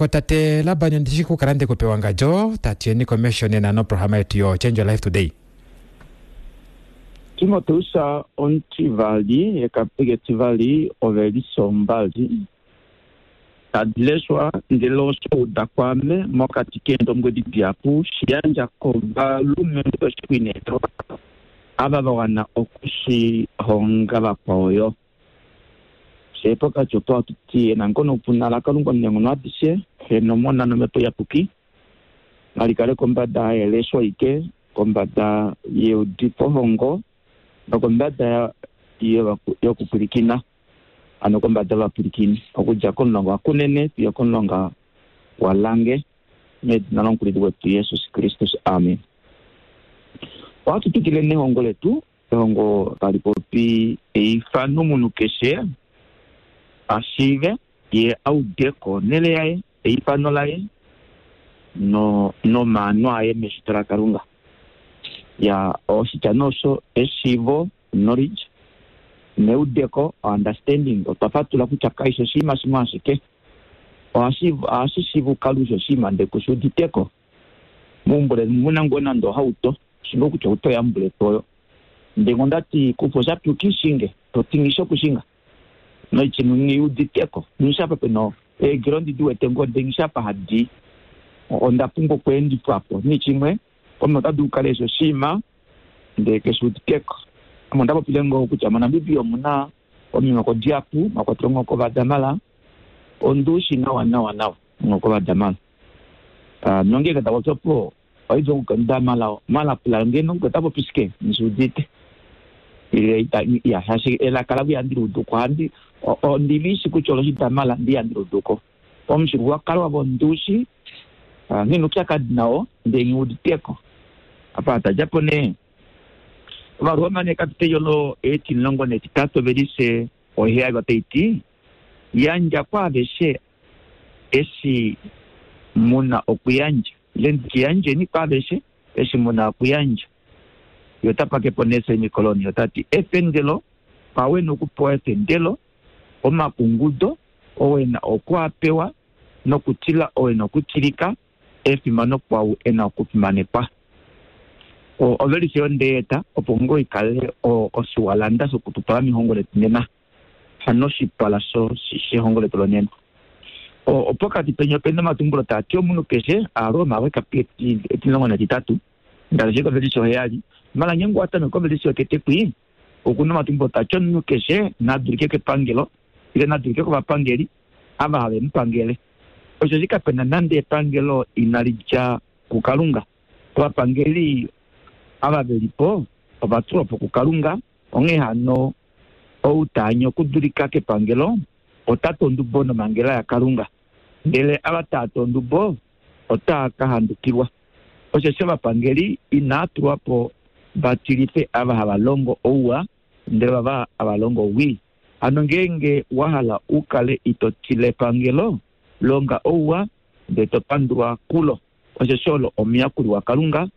Tate Laban ndishi kukala ndekupe wangadjo tatiyeni komesho nena noprograma yetu yo Change Your Life Today. Timoteus omutivali ekapeki etivali ovelise ombali tadi leshwa ndele osho uda kwaame mokati keendombwedi dihapu shi yandja kovalumenhu veshikuinekelwa ava va wana oku shi honga vakwao yo. Fye pokati opo hatu ti enango noupuna laKalunga Omunaenghono adishe, Xe nOmona nOmhepo Iyapuki, nali kale kombada yelesho aike, kombada yeudifohongo nokombada yokupwilikina, hano kombada yovapwilikini, okudja komulonga waKunene fiyo okomulonga waLange, medina lOmukulili wetu Jesus Kristus, amen. Ohatu twikile nehongo letu Ehongo tali popi eifano omunhu keshe a shiive ye a ude ko onhele yaye, eifano laye no nomaano aye meshito laKalunga. Ya oshitya nee osho eshiivo, knowledge, neudeko, understanding, otwa fatula kutya kaishi oshinima shimwe ashike. Ohashi ohashi shiiva u kale ushi oshinima ndele kushi uditeko. Meumbo leni muna ngoo nande ohauto, shinga kutya ohauto yambuletu oyo. Ndenge onda ti kufa oshapi uki shinge, to ti nghi shi okushinga. Noichimwe nghi uditeko, nghi shi apa pena eegila ondi di wete ngoo ndee nghi shi apa hadi. Onda pumbwa okweendifwa po. Nichimwe, omunhu ota dulu okukala eshi oshinima ndee keshi uditeko. Ame onda popile ngoo kutya moNamibia omuna omihoko dihapu, mwa kwatelwa omuhoko wOvadamara. Ondi u shi nawa nawa nawa omuhoko wOvadamara. Nongeenge ta popi opo oidja okukanda mala malapula ngeno ota popi shike nghi udite ile ita ya shaashi elaka lavo ihandi li udu ko ohandi ondi li shi kutya olo shidamala ndi ihandi li udu ko omufyuululwakalo wavo ondiushi nghina oupyakadi nao ndee nghi uditeko apa tadja po nee Ovaroma nee kapitei olo etimulongo netitatu ovelise oheyali otai ti yandja kwaaveshe eshi mu na okuyandja, ile ndi tye yandjeni kwaaveshe eshi mu na okuyandja. Ye ota pake po nee semikoloni, ota ti, Efendelo, kwa we na okupewa efendelo, omakungudo, owe na oku a pewa, nokutila owe na okutilika, efimano kwau e na okufimanekwa. Ovelise onde eta opo ngoo i kale oshiwalanda shokututwala mehongo letu nena. Hano oshipala shehongo letu lonena. Opokati peni ope na omatumbulo taa ti omunhu keshe, Aaroma wekapi etimulongo netitatu, ngaashi kovelise oheyali, mala ngeenge owa tameke kovelise yotete kwi, oku na omatumbulo taa ti omunhu keshe na dulike kepangelo ile na dulike kovapangeli ava have mu pangele. Osheshi kape na nande epangelo inali dja kuKalunga. Ovapangeli ava ve li po ova tulwa po kuKalunga. Onghee hano, ou ta anye okudulika kepangelo, ota tu ondubo nomhangela yaKalunga, ndele ava taa tu ondubo otaa ka handukilwa. Osheshi ovapangeli inaa tulwa po va tilife ava hava longo ouwa, ndele ovava hava longo owii. Hano ngeenge wa hala u kale ito tila epangelo, longa ouwa, ndele to pandulwa kulo, osheshi olo omuyakuli waKalunga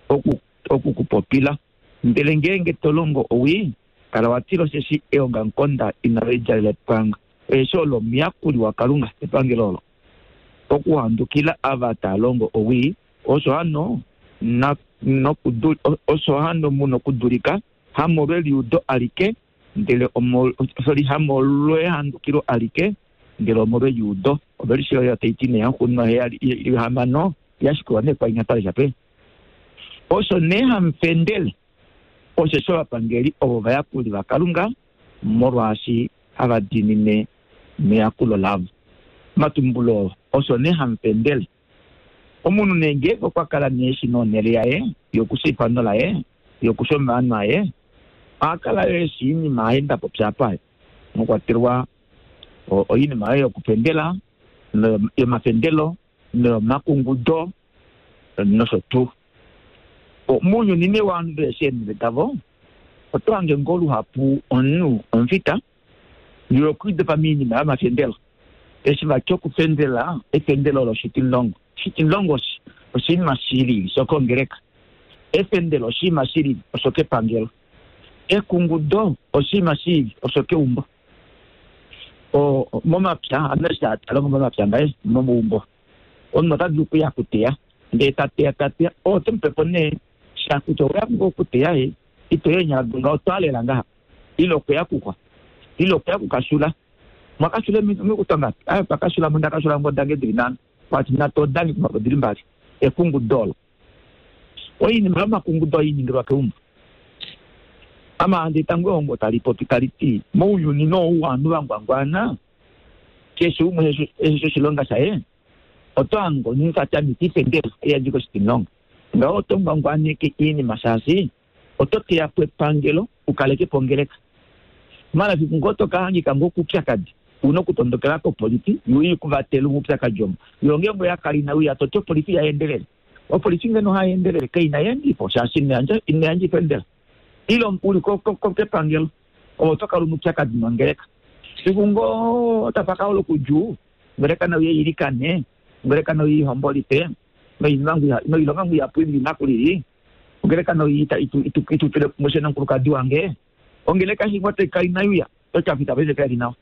oku, oku ku popila. Ndele ngeenge to longo owii, kala wa tila osheshi eongamukonda inali djalela epwanga. Osheshi olo omuyakuli waKalunga, epangelo olo, okuhandukila ava taa longo owii. Osho hano na, nokudu, osho hano mu nokudulika, hamolweliudo alike, ndele omol, sorry, hamolwehandukilo alike, ndele omolweliudo. Ovelishe oyo tai ti nee yaxuuninwa heyali, hamano, ya shikulwa nee kwainya twa lesha pe. Osho nee hamu fendele, osheshi ovapangeli ovo ovayakuli vaKalunga, molwaashi hava diinine meyakulo lavo. Omatumbulo oo, osho nee hamu fendele. Omunhu nee ngeenge okwa kala nee eshi nonhele yaye yokusha eifano laye, yokusha omaano aye, oha kala yo eshi oinima aye nda popya apa, mwa kwatelwa oinima oyo yokufendela, yomafendelo noyomakungudo nosho tuu. Mounyuni nee wovanhu vehe eenhele davo, oto hange ngoo luhapu omunhu omufita ye okwiidopa moinima yomafendelo. Eshi vati okufendela efendelo olo oshitimulongo. Oshitimulongo oshinima shi lili shokongeleka. Efendelo oshinima shi lili oshokepangelo. Ekungudo oshinima shi lili oshokeumbo. Momapya, ame eshi hatu longo momapya ngaye momaumbo. Omunhu ota dulu okuya kuteya ndee ta teya ta teya oo ote mu pe po nee sha kutya oweya ngoo okuteya ye ito ya eenyala dongaho oto alela ngaha ile okweya kuxwa ile okweya kukashula mwakashula omikuto ngapi aye twakashula mo ndakashula ngoo dange dili nhano kwati nhatu odange kumwe odili mbali ekungudo olo oinima yomakungudo oyi ningilwa keumbo ame handi tango ehongo tali popi tali ti mounyuni nou ovanhu va ngwangwana keshe umwe eshi oshilonga shaye oto hange omunhu ta tameke ifendela eyandje koshitimulongo ngaho oto ngwangwaneke iinima shaashi oto teya po epangelo u kaleke po ongeleka. Mafiku ngoo to ka hangika ngoo koupyakadi, u na okutondokela kopolifi yo i ku vatele moupyakadi omo. Yo ngeenge oya kala inai uya to ti opolifi ihayi endelele. Opolifi ngeno ohai endelele kai na eendifo shaashi ina yandja oifendela. Ile u li kepangelo ove oto kala u na oupyakadi nongeleka. Fiku ngoo tapa ka holoka oudjuu, ongeleka nai uye i ilikane, ongeleka nai uye i hombolife noilonga ngoo ihapu i lili naku lili. Ongeleka noi itu tule kumwe fye nomukulukadi wange. Ongeleka eshi ngoo tai kala inai uya, toti aafita paife kave li nawa.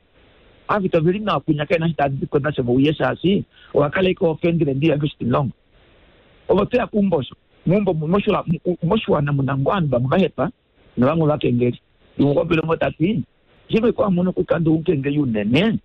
Aafita ove li nawa kwinya kave na eshi tava di ko nasho vauye shaashi owa kala ashike ofendele ndi yange oshitimulongo. Ove oto ya keumbo osho, meumbo moshiwana mu na ngoo ovanhu vamwe va hepa novamwe ovakengeli. Umwe okwa popile ngoo ta ti, Shimwe kwa mono kutya ndi omukengeli unene,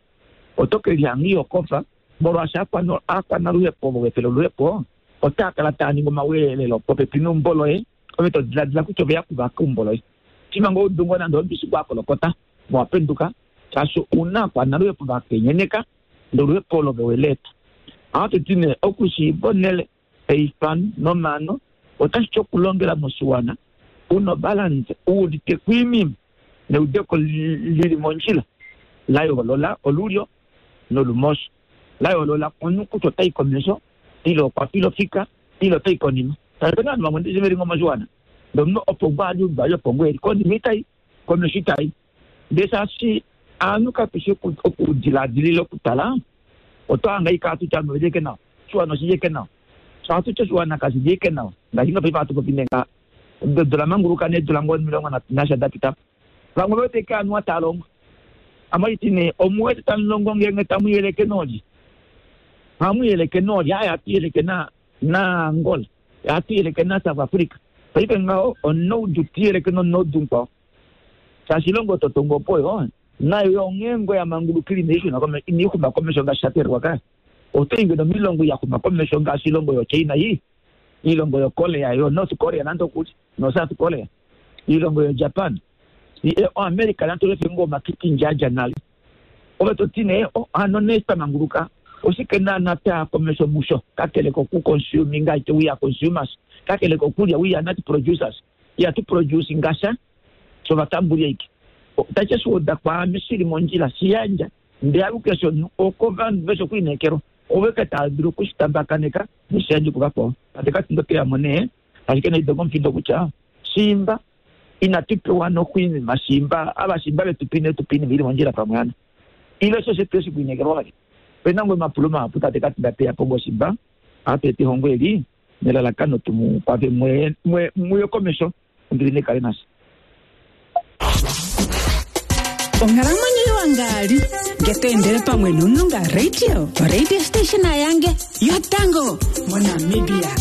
oto ke lihanga iho kofa molwaashi aakwanaluhepo ovo ve fele oluhepo otaa kala taa ningi omaweelelo popepi neumbo loye, ove to diladila kutya ove ya kuvaka eumbo loye. Shimha ngoo udu ngoo nande omubishi gwa kolokota, owa penduka, shaashi ou na aakwanaluhepo va kenyeneka, ndele oluhepo olo ove we li eta. Ohatu ti nee, okushiiva onhele, eifano nomaano otashi ti okulongela moshiwana u na obalanse, u udite ko oinima neudeko li li mondjila, la yoolola olulyo nolumosho. La yoolola omunhu kutya ota i komesho ile okwa fila ofika ile ota i konima. Shaashi opena ovanhu vamwe ndishi veli ngoo moshiwana ndee omunhu opo ngoo ali omunhu ali opo ngoo eli konima itayi komesho itayi. Ndee shaashi ovanhu katushi okudiladilila okutala oto hanga ashike hatu ti ovanhu oveli ashike nawa, oshiwana oshili ashike nawa. Sho hatu ti oshiwana kashili ashike nawa ngaashi ngoo paife hatu popi nee ngaha edu la manguluka nee eedula ngoo 30 nasha da pita po. Vamwe ove wete ashike anuwa taa longo. Ame ohandi ti nee, omu wete tamu longo ngeenge tamu yeleke noolye? Ohamu yeleke noolye? Aaye, ohatu yeleke na naAngola, ohatu yeleke naSouth Africa. Paife ngaho omunaudu ti yeleke nomunaudu mukwao. Shaashi oilonga oyo to tongo opo oyo nayo yo onghee ngoo ya mangulukile inai shuna komesho, inai xuma komesho ngaashi sha teelelwa kaya. Oto i ngeno moilongo ya xuma komesho ngaashi oilongo yoChina ii, oilongo yoKorea, yoNorth Korea nande okuli, noSouth Korea, oilongo yoJapan. OAmerica nande olefe ngoo omakikindja a dja nale. Ove to ti nee, oh, hano nee twa manguluka, oshike naana twa ya komesho musho, kakele koku consuminga aite, we are consumers, kakele kokulya, we are not producers, ihatu producinga sha, fye ovatambuli aike. Otashi shi uda kwaame shi li mondjila, shi yandja, ndee aluke sho okovanhu veshi okulineekelwa, ovo eke tava dulu oku shi tambakaneka noshi yandje kuvakwao. Tate Katinda ote ya mo nee, ashike naidonge omufindo kutya, shiimba inatu pewa nokuinima shimba ava shimba vetu pe inetu pa iinima ili mondjila pamwe ano ile osho shetu eshi kuinekelwa vali opena ngoo omapulo mahapu tate Katinda teya po ngoo shimba ohatu eta ehongo eli nelalakano tumu kwafe muye komesho ombili naikale nashe. Onghalamwenyo iwa ngaali nge to endele pamwe nOmulunga Radio, oradio station yange yotango moNamibia.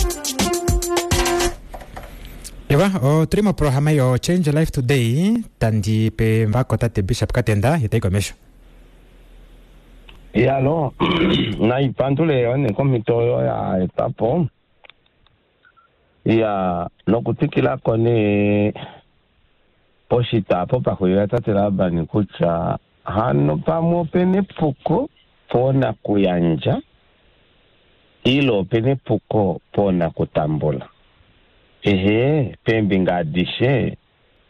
Ewa, otuli moprograma yo Change Life Today, tandi pe mbako tate Bishop Katenda ye tayi komesho. Yalo, naipandule yo nee komhito oyo ya etwa po. Ya, nokutwikila ko nee poshitwa apo pa xulila tate Laban kutya hano pamwe opena epuko poonakuyandja ile opena epuko poonakutambula. Ehe, peembinga adishe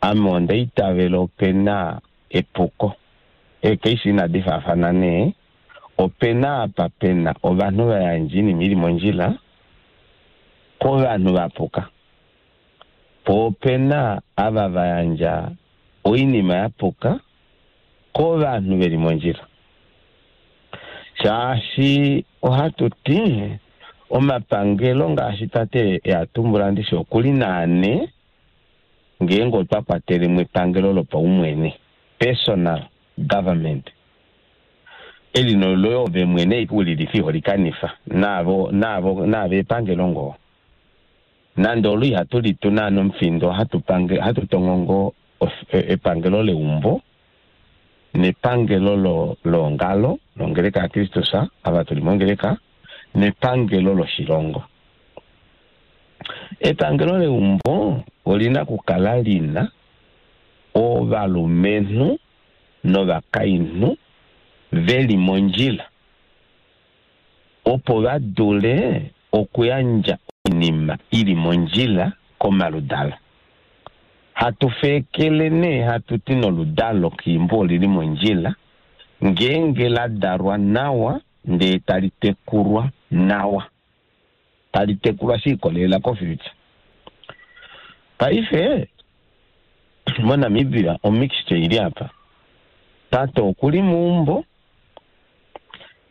ame onda itavela opena epuko. Eekeisi inadi faafana nee, opena apa pena ovanhu va yandja oinima ili mondjila kovanhu va puka, po opena ava va yandja oinima ya puka kovanhu ve li mondjila. Shaashi ohatu ti omapangelo ngaashi tate e a tumbula ndishi okuli naane ngeenge otwa kwatele mo epangelo lopaumwene, personal government. Eli noloye ove mwene ike ulilifa iho likanifa naavo naavo naave epangelo ngoo. Nande olo ihatu litu naana omufindo ohatu pange ohatu tongo ngoo epangelo leumbo nepangelo lo leongalo longeleka yaKristus ava tuli mongeleka nepangelo loshilongo. Epangelo leumbo olina okukala lina ovalumenhu novakainhu ve li mondjila opo va dule okuyandja oinima i li mondjila komaludalo. Hatu feekele nee hatu ti noludalo keumbo oli li mondjila ngeenge la dalwa nawa ndee tali tekulwa nawa. Tali tekulwa she ikolelela kofuture. Paife moNamibia omixture ili apa. Tate okuli meumbo,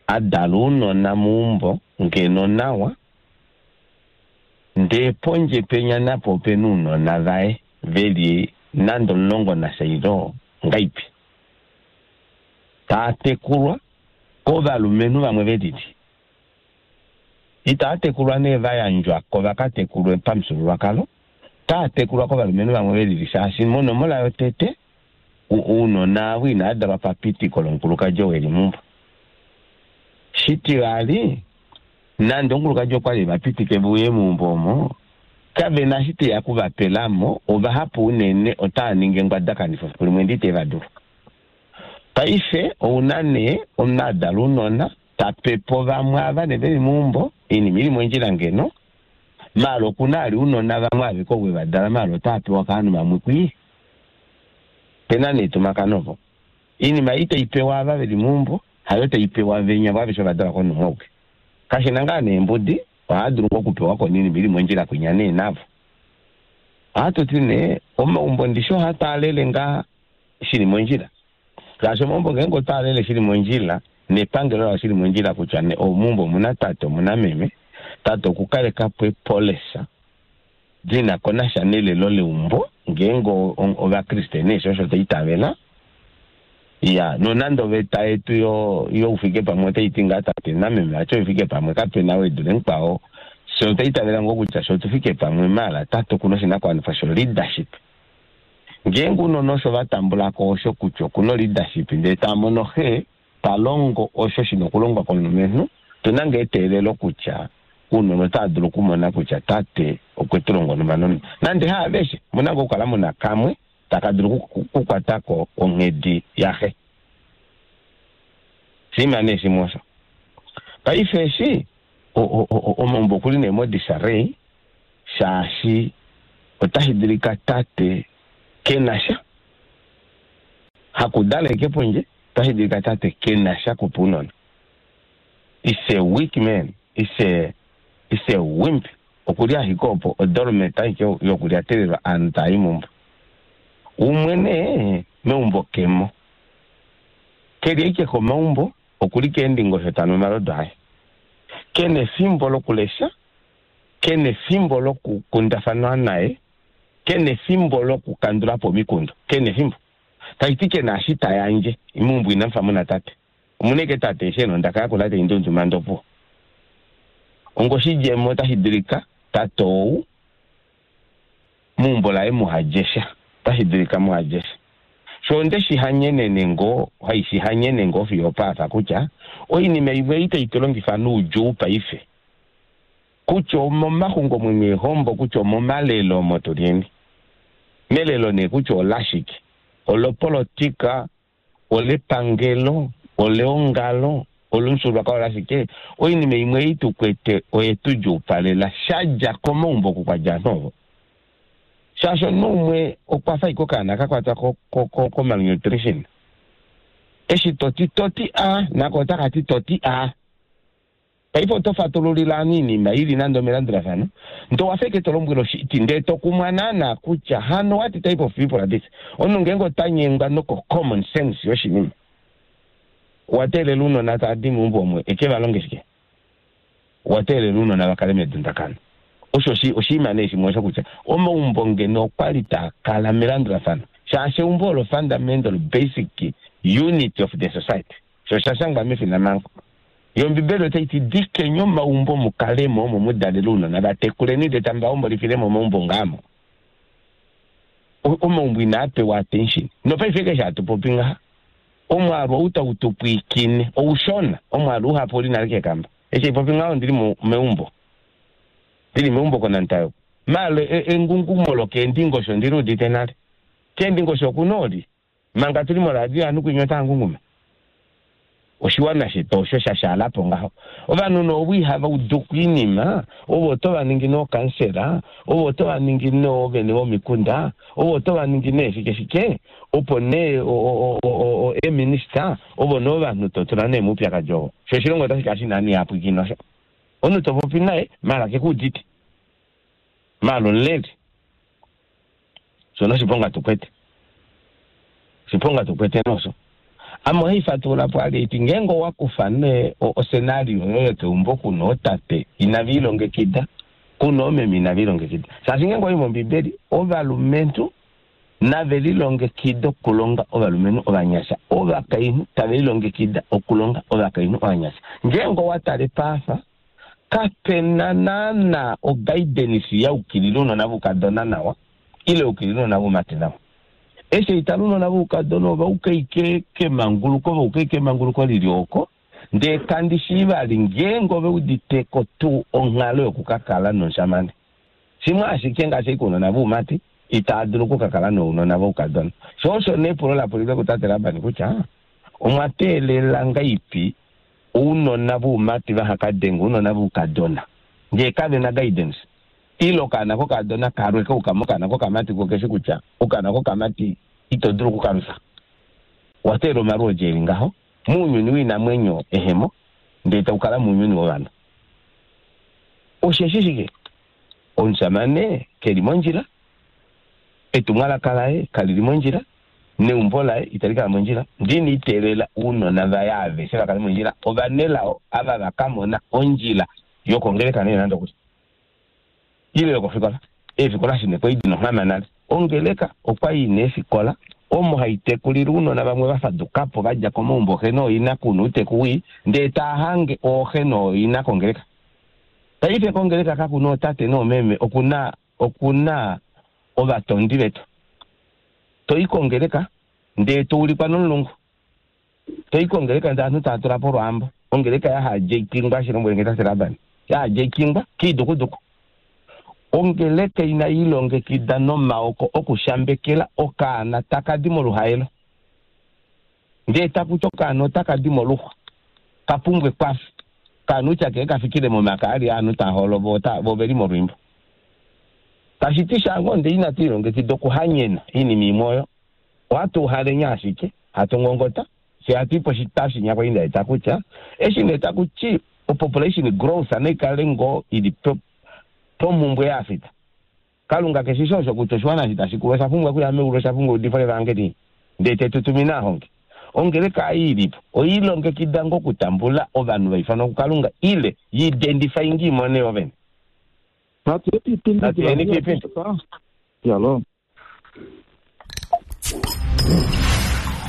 a dala ounona meumbo ngeno nawa, ndee pondje penya napo opena ounona vaye veli nande 11 ile ngaipi. Taa tekulwa kovalumenhu vamwe velili. Itaa tekulwa nee va yandjwa ko va ka tekulwe pamufyuululwakalo, otaa tekulwa kovalumenhu vamwe ve lili shaashi monomola yotete ounona avo inava dalwa papitiko lomukulukadi ou e li meumbo. Shitivali, nande omukulukadi okwa li e va pitike ve uye meumbo omo, kave na eshi teya oku va pela mo, ovahapu unene otava ningi engwadakanifo fiku limwe ndee itave va dulu. Paife ou na nee omunhu a dala ounona, ta pe po vamwe ava ne veli meumbo, oinima ili mondjila ngeno, maala okuna ali ounona vamwe aveke ovo eva dala maala otava pewa kovanhu vamwe kwii. Pena nee etumakano opo. Oinima ei tai pewa ava veli meumbo hayo tai pewa venya vo aveshe ova dalwa komunhu umwe auke. Kashina ngaa nee mbudi, ohava dulu ngoo okupewa ko oinima ili mondjila kwinya nee navo. Ohatu ti nee omaumbo ndishi ohaa twaalele ngaa shili mondjila. Ngaashi omaumbo ngeenge otwa alele shili mondjila nepangelo lao shili mondjila kutya ne omeumbo omuna tate omuna meme, tate okukaleka po epolisa li na ko nasha nelelo leumbo ngeenge Ovakriste nee sho osho twa itavela. Iya, nonande oveta yetu yo youfike pamwe otai ti ngaa tate nameme vati ove fike pamwe, kape na ou e dule mukwao. Fye otwa itavela ngoo kutya fye otu fike pamwe maala tate oku na oshinakuwanifwa sho leadership. Ngeenge ounona osho va tambula ko osho kutya oku na oleadership ndele tava mono xe ta longo osho shi na okulongwa komulumenhu, otu na ngaa eteelelo kutya ounona otava dulu okumona kutya tate okwe tu longa onhumba nonhumba. Nande haaveshe, omu na ngaa okukala mu na kamwe taka dulu okukwata ko onghedi yaxe. Oshinima nee shimwe osho. Paife eshi omaumbo okuli nee modisarei shaashi otashi dulika tate ke na sha hakudala eke pondje, otashi dulika tate ke na sha kupa ounona. Is a weak man, is a, is a wimp. Okuli ashike opo odormet aike yokulyatelelwa aanhu taa yi meumbo. Umwe nee meumbo kemo. Ke li ashike komaumbo, okuli keendingosho ta nu omalodu aye. Ke na efimbo lokulesha, ke na efimbo lokukundafanwa naye, ke na efimbo lokukandula po omikundu, ke na efimbo. Tashi ti ke na eshi ta yandje. Meumbo inamu fa mu na tate. Omu na ashike tate eshi e na ondaka yakula tai ndunduma ndee opuwo. Ongoshidjemo otashi dulika tate ou meumbo laye muha dje sha. Otashi dulika muha dje sha. Sho onde shi hanyenene ngoo, hai shi hanyene ngoo fiyo opaafa kutya oinima imwe ei tai tu longifa noudjuu paife, kutya omomaxungomwenyo eehombo, kutya omomalelo omo tu lyeni. Melelo nee kutya olashike, olopolotika, olepangelo, oleongalo, olomufyuululwakalo olashike, oinima imwe ei tu kwete oye tu djuupalela sha dja komaumbo oku kwa dja ovanhu ovo. Shaashi omunhu umwe okwa fa ashike okaana ka kwatwa ko-malnutrition. Eshi to ti to ti a, nako otaka ti to ti a. Paife oto fatululile ovanhu oinima i li nande omelandulafano, ndee owa fa ashike to lombwele oshiti, ndee to kumwa naana kutya hano what type of people are this? Omunhu ngeenge ota nyengwa noko common sense yoshinima, owa teelela ounona tava di meumbo omo eke va longe shike? Owa teelela ounona va kale medundakano. Osho oshinima nee shimwe osho kutya omaumbo ngeno okwa li taa kala melandulafano, shaashi eumbo olo fundamental basic unit of the society. Sho osha shangwa mefinamhango. Yo Ombibeli otai ti, Dikeni omaumbo mu kale mo omo mu dalele ounona, va tekuleni ndele tamu va hombolifile momaumbo ngaamo. Omaumbo inaa pewa attention. Nopaife keshe hatu popi ngaha, omwaalu ou tau tu pwiikine oushona, omwaalu uhapu oli nale kekamba. Eshi haipopi ngaho ondili meumbo. Ndili meumbo kOnantayo. Maala engungumo lokeendingosho ondili udite nale. Keendingosho oku na oli. Manga tu li moradio ovanhu kwinya otava ngunguma. Oshiwana shetu osho sha shaala po ngaho. Ovanhu nee ovo ihava udu ko oinima, ovo oto va ningi nookansela, ovo oto va ningi noovene vomikunda, ovo oto va ningi nee shike shike, opo nee eeminista, ovo nee ovanhu to tula nee moupyakadi ovo. Sho oshilongo otashi kala shi na ovanhu ihava pwilikine osho. Omunhu to popi naye, maala ke ku udite. Maala omuleli. Shono oshiponga tu kwete. Oshiponga tu kwete nosho. Ame ohai fatulula po ali eti ngeenge owa kufa nee oscenario yoye yokeumbo kuna ootate inave ilongekida, kuna oomeme inave ilongekida. Shaashi ngeenge owai mOmbibeli, ovalumenhu nave lilongekide okulonga ovalumenhu ovanyasha, ovakainhu tave lilongekida okulonga ovakainhu ovanyasha. Ngeenge owa tale paafa, Kape na naana oguidance ya ukilila ounona voukadona nawa ile ya ukilila ounona voumati nawa. Eshi haitala ounona voukadona ova uka ashike kemanguluko, va uka ashike emanguluko lili oko, ndee kandi shii vali ngeenge ove uditeko tuu onghalo yoku ka kala nomushamane. Shimwe ashike ngaashi ashike ounona voumati itava dulu oku ka kala nounona voukadona. Sho osho nee epulo la pulilwe kutate Laban kutya omwa teelela ngaipi ounona voumati vaha ka denge ounona voukadona ngee kave na guidance ile okaana kokadona kalwe kauka mokaana kokamati ko keshi kutya okaana kokamati ito dulu okukalwifa. Owa teelela omalwoodi eli ngaho mounyuni woinamwenyo ehemo ndee tau kala mounyuni wovanhu. Osheshi shike? Omushamane keli mondjila, etumwalaka laye kali li mondjila, neumbo laye itali kala mondjila. Ndini iteelela ounona vaye aveshe va kale mondjila, ovanelao ava va ka mona ondjila yokongeleka nee nande okuli ile yokofikola. Eefikola shine kwai dina onghama nale. Ongeleka okwai ina eefikola omo hai tekulile ounona vamwe va faduka po va dja komaumbo oxe nooina kuna outeku wii ndee taa hange ooxe nooina kongeleka. Paife kongeleka kakuna ootate noomeme okuna okuna ovatondi vetu. To i kongeleka ndee to ulikwa nomulungu. To i kongeleka ndee ovanhu tava tula po olwaambo. Ongeleka yaHadjeikingwa, shi lombwele nge tate Laban. YaHadjeikingwa kiidukuduku. Ongeleka inai ilongekida nomaoko okushambekela okaana taka di moluhaelo. Ndee taku ti okaana otaka di moluxwa, ka pumbwa ekwafo. Okaana utya kee ka fikile momake ali aanhu taa holo vo vo ve li molwiimbo. Tashi ti sha ngoo ndee inatu ilongekida okuhanyena oinima imwe oyo. Ohatu uhalenya ashike, hatu ngongota, fye hatu i poshitashi nya kwali nda eta kutya eshi nee taku ti opopulation growth nai kale ngoo ili pomhumbwe yaAfrica. Kalunga ke shi shi osho kutya oshiwana eshi tashi kulu osha pumbwa okuya meulu, osha pumbwa eudifo levangeli, ndee te tu tumine ahonge. Ongeleka ei i li po oyi ilongekida ngoo okutambula ovanhu va ifanwa kuKalunga ile yi identifyinge imone yo vene? Natu yeni kiipindi.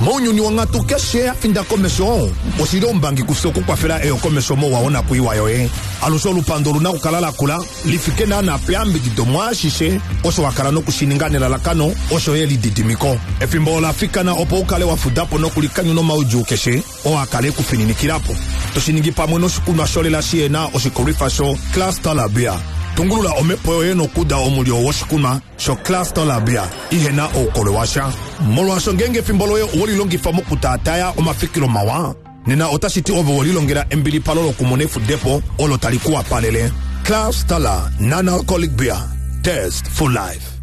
Mounyuni wonghatu keshe ya finda komesho, oshi li oumbangi kufye okukwafela eyokomesho mouwa wonakwiiwa yoye. Alushe olupandu olu na okukala la kula li fike naanaa peyambidido mwaashishe osho wa kala noku shi ninga nelalakano osho yo elididimiko. Efimbo ola fikana opo u kale wa fuda po nokulikanyuna omaudjuu keshe oo a kala e ku fininikila po. To shi ningi pamwe noshikunwa sholela shi na oshikolwifa sho Cluster Beer. Tungulula omhepo yoye nokuuda omulyo woshikunwa shoCluster Labia ihe na oukolwe washa. Molwaasho ngeenge efimbo loye owe li longifa mokutaataya omafikilo mawa, nena otashi ti ove we lilongela embilipalo lokumona efudepo olo tali ku wapalele. Cluster La Non-Alcoholic Beer. Taste for life.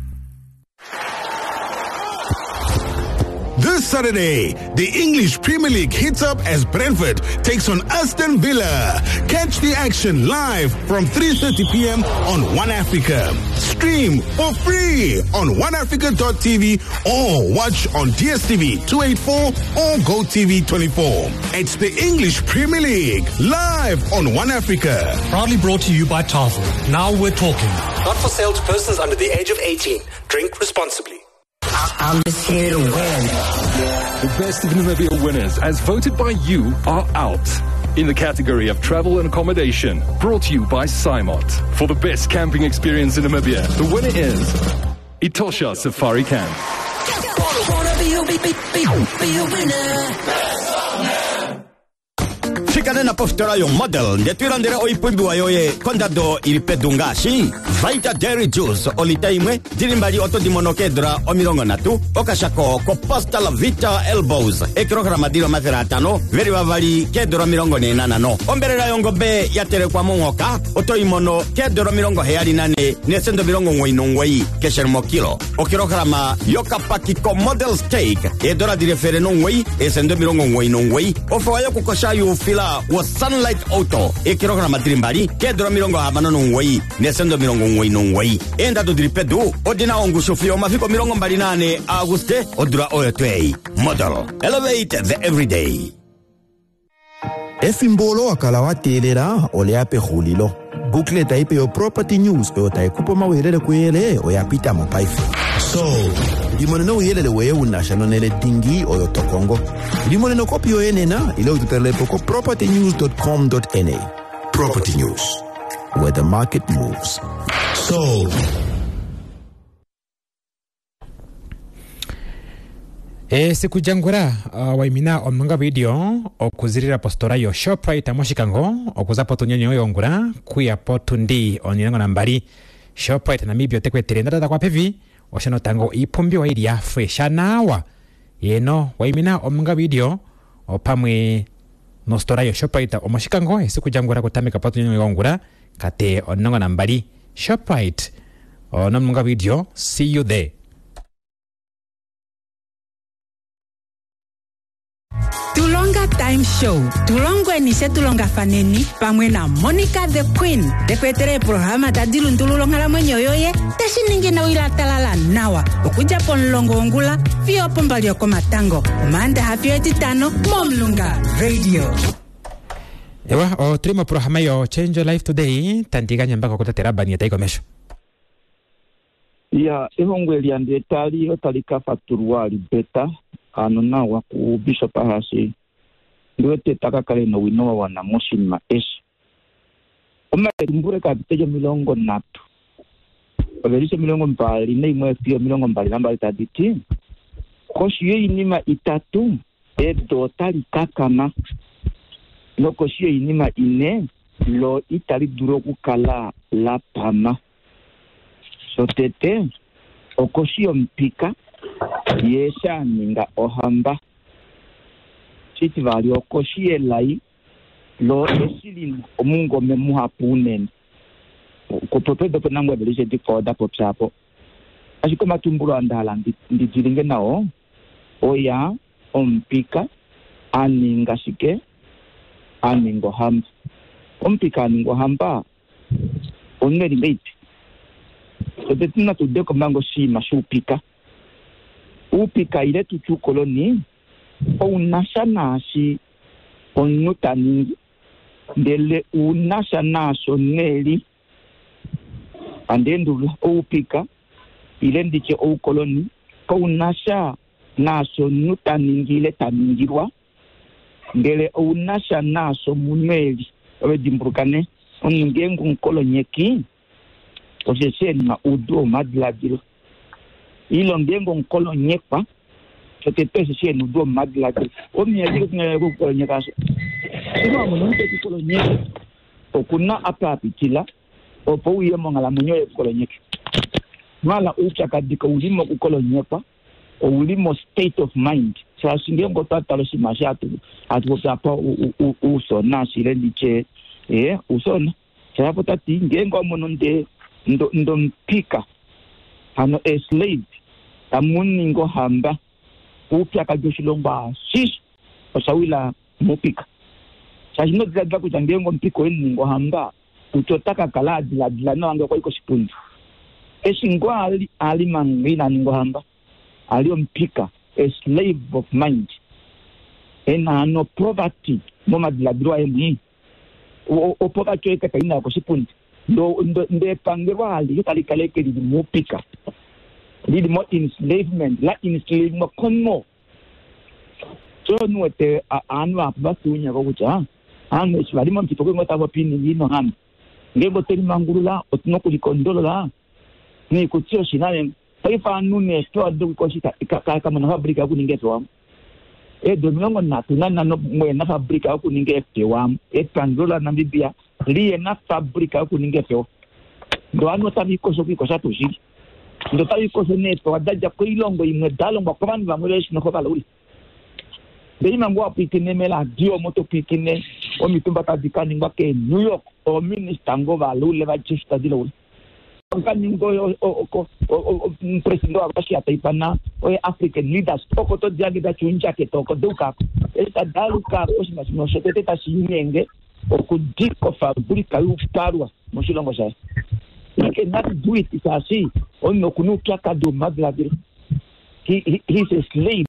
This Saturday, the English Premier League hits up as Brentford takes on Aston Villa. Catch the action live from 3.30 p.m. on One Africa. Stream for free on oneafrica.tv or watch on DSTV 284 or GoTV 24. It's the English Premier League live on One Africa. Proudly brought to you by Tafel. Now we're talking. Not for sale to persons under the age of 18. Drink responsibly. I'm just here to win. The best of Namibia winners, as voted by you, are out. In the category of travel and accommodation, brought to you by Simot. For the best camping experience in Namibia, the winner is Etosha Safari Camp. Wanna be a, be, be, be, be a winner. Fika nena pofitola yomodel ndele to ilandele oipumbiwa yoye kondado ili pedu ngaashi Vita Dairy Juice olita imwe dili mbali oto di mono keedula 30, okashako kopasta la Vita Elbows ekilograma dili 500 veli vavali keedula 45, ombelela yongobe ya telekwa monghoka oto i mono keedula 74 neesenda 99 keshe mokilo, okilograma yokapaki ko Model Steak eedola dili 109 eesenda 99, ofewa yokukosha yuufila wo Sunlight Auto ekilograma dili mbali keedula 69 neesenda 99. Eendado dili pedu odina ongushu fiyo omafiku 24 Auguste odula oyo twei. Model Elevate the Everyday. Efimbo olo wa kala wa teelela oleya pexulilo. Booklet ipe yo Property News oyo tai kupa omauyelele kuyele oya pita mo paife. So, limonene ouyelele woye unasha nonele dingi oyo tokongo. Limonene okopi yoye nena ile ututalelepo ko propertynews.com.na. Property News, where the market moves. So, Esiku lyangula waimina omulunga video okuzilila positola yo Shoprite moshikango okuza potundi yongula kuya potundi 12. Shoprite Namibia ote ku etele endada kwa pevi osho tango iipumbiwa ili ya fresha nawa yeno waimina omulunga video opamwe nositola yo Shoprite omoshikango esiku lyangula kutameka potundi yongula kate 12. Shoprite nomulunga video, see you there. Tulonga Time Show tulongweni she tulongafaneni pamwe na Monica the Queen tekuetele eprograma tadi lundulula onghalamwenyo yoye teshi ningi nowila talala nawa okudja pomulongo wongula fiyo pombali yokomatango omaandaha fiyo etitano momulunga radio. Ewa otuli moprograma yo Change Your Life Today tandi gandja mbaka kutate Labani tayi komesho. Ya ehongo eli andi etali otali ka fatulwa libeta ano nawa ku Bishop Ahasi ndiwete taka kale nowino wa wana moshinima eshi. Omalumbule kapite 30 ovelishe 21 fiyo 22 tadi ti koshi yoinima itatu edo otali kakama nokoshi yoinima ine lo itali dulu okukala la pama. Shotete okoshi yomupika ye sha ninga ohamba. Shitivali okoshi yelai lo eshi lina omungome muhapu unene. Kupopedo penangwe velishe dikwao da popya apo. Ashike omatumbulo andahala ndidilinge nao oya omupika a ninga shike? A ninga ohamba. Omupika a ninga ohamba omunhu eli ngeipi? Tete natu udeko manga oshinima shuupika. Uupika ile tutye uukoloni ounasha naashi omunhu ta ningi ndele unasha naasho neli. Andeendulula oupika ile nditye oukoloni kaunasha naasho omunhu ta ningi ile ta ningilwa ndele ounasha naasho omunhu eli. Ove dimbuluka ne omunhu ngeenge omukolonyeki osheshi ena oudu womadiladilo ile ngeenge omukolonyekwa shotete osheshi ena oudu womadiladilo. Omunhu okukolonyeka asho ino wamono omunhu tekukolonyeke okuna apa apitila opo uye monghalamwenyo yekukolonyeke. Mala oupyakadi kauli mokukolonyekwa ouli mo state of mind shaashi ngeenge otwa tala oshinima eshi hatu popi apa uusona shile nditye uusona shaapo tati ngeenge wamono ndomupika hano a slave tamuningi ohamba oupyakadi woshilongo ashishe oshawila mupika shaashi inodiladila kutya ngeenge omupika oyemuningi ohamba kutya ota ka kala adiladila nawa ngee okwai koshipundi. Eshi ngoo ali manga ina ninga ohamba ali omupika a slave of mind ena hano poverty momadiladilo aye mwii. Opoverty oye kaka ina koshipundi ndo epangelo alihe tali kala eke lili muupika. Lili mo enslavement, la enslavement komunhu. So omunhu wete aanhu vahapu vatuunya ko kutya aanhu eshi vali momupito okwe ngoo tava popi oinima ina ohamba. Ngeenge otwe limangulula otu na okulikondolola noikuti yoshinanena. Paife aanhu neefewa dokukoshita kamuna ofabrika yokuninga eefewa. Eedula 35 mwena ofabrika yokuninga eefewa. Epangelo laNamibia liyena ofabrika yokuninga eefewa. Ndee ovanhu otave ikosho okwiikosha tuu shili. Ndee otave ikosho neefewa da dja koilongo imwe da longwa kovanhu vamwe vehe shi noho valaule. Ndee ima ngoo wa pwiikine meradio omo to pwiikine omitumba tadi ka ningwa keNew York, oominista ngoo valaule va dja eshi tadi laula. Ka ninga omupresidente waRussia ta ifana oye African leaders oko to di hange da tya oundjaketa oko da uka ko. Eshi tadi aluka oshinima shimwe shotete tashi linyenge okudika ofabrika youpalwa moshilongo shaye. He cannot do it shaashi omunhu oku na oupyakadi womadiladilo. He, he, he is a slave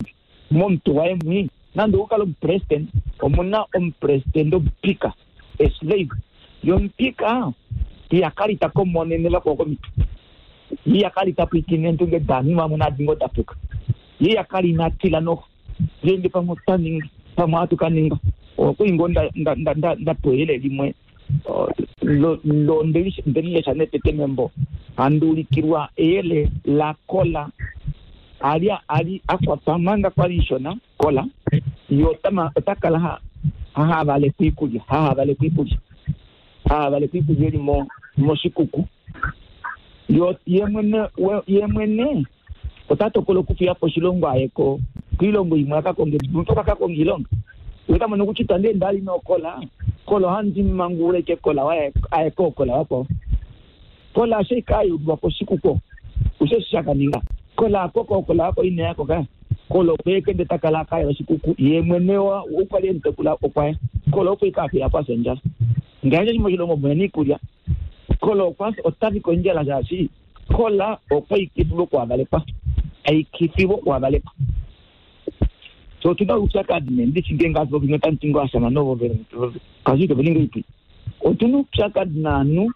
momutwe waye mwii. Nande okukala omupresident, omuna omupresident omupika, a slave. Ye omupika iha kala ita komonene vakwao komitwe. Ye iha kala ita pwiikine eendunge daanhu vamwe naadi ngoo da puka. Ye iha kala ina tila noho. Ngeenge pamwe otwa ninga, pamwe ohatu ka ninga. Okuli ngoo nda, nda, nda, nda, nda pewa eyele limwe lo, lo ndeli, ndeli lesha netete membo. Handi ulikilwa eyele la kola ali ali a kwatwa manga kwali ishona kola ye ota, ota kala ha, ha havalekwa iikulya, ha havalekwa iikulya, ha havalekwa iikulya eli mo, moshikuku. Yo, ye mwene, ye mwene ota tokola okufiya po oshilongo aye ko, koilongo imwe a ka konge, ota ka konga iilonga. Ye ota mono kutya itandi ende ali nokola, kola ohandi mangulula ike kola waye aye kookola vakwao. Kola ashe ika yulwa koshikuku osho eshi sha ka ninga. Kola akoko kola ako ine yako ka. Kola okwe kende ta kala akaya oshikuku ye mwene wa okwa li emutekula okwaya. Kola okwe ika afila po afya ondjala. Ngaashi eshi moshilongo muhe na iikulya. Kola okwa ota fi kondjala shaashi kola okwa ikifilwa okuhavalekwa. Aikifilwa okuhavalekwa. So otuna oupyakadi nee ndishi ngeenge hatu popi otamu ti ngoo ashamane ovo kashi ito ninga oipi. Otuna oupyakadi naanhu